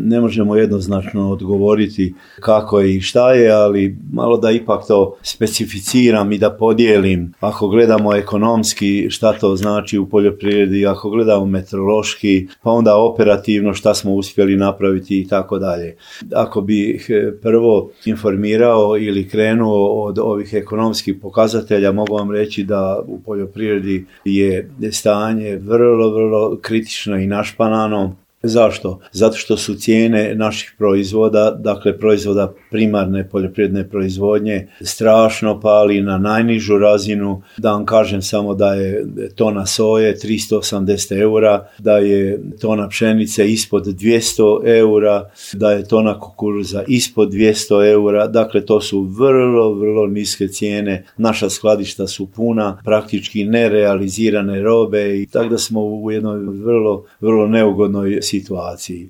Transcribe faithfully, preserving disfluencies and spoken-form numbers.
ne možemo jednoznačno odgovoriti kako i šta je, ali malo da ipak to specificiram i da podijelim. Ako gledamo ekonomski šta to znači u poljoprivredi, ako gledamo meteorološki, pa onda operativno šta smo uspjeli napraviti i tako dalje. Ako bih prvo informirao ili krenuo od ovih ekonomskih pokazatelja, mogu vam reći da u poljoprivredi je stanje vrlo, vrlo kritično i našpanano. Zašto? Zato što su cijene naših proizvoda, dakle proizvoda primarne poljoprivredne proizvodnje, strašno pali na najnižu razinu. Da vam kažem samo da je tona soje tristo osamdeset eura, da je tona pšenice ispod dvjesto eura, da je tona kukuruza ispod dvjesto eura. Dakle, to su vrlo, vrlo niske cijene. Naša skladišta su puna, praktički nerealizirane robe i tako da smo u jednoj vrlo, vrlo neugodnoj situaciji.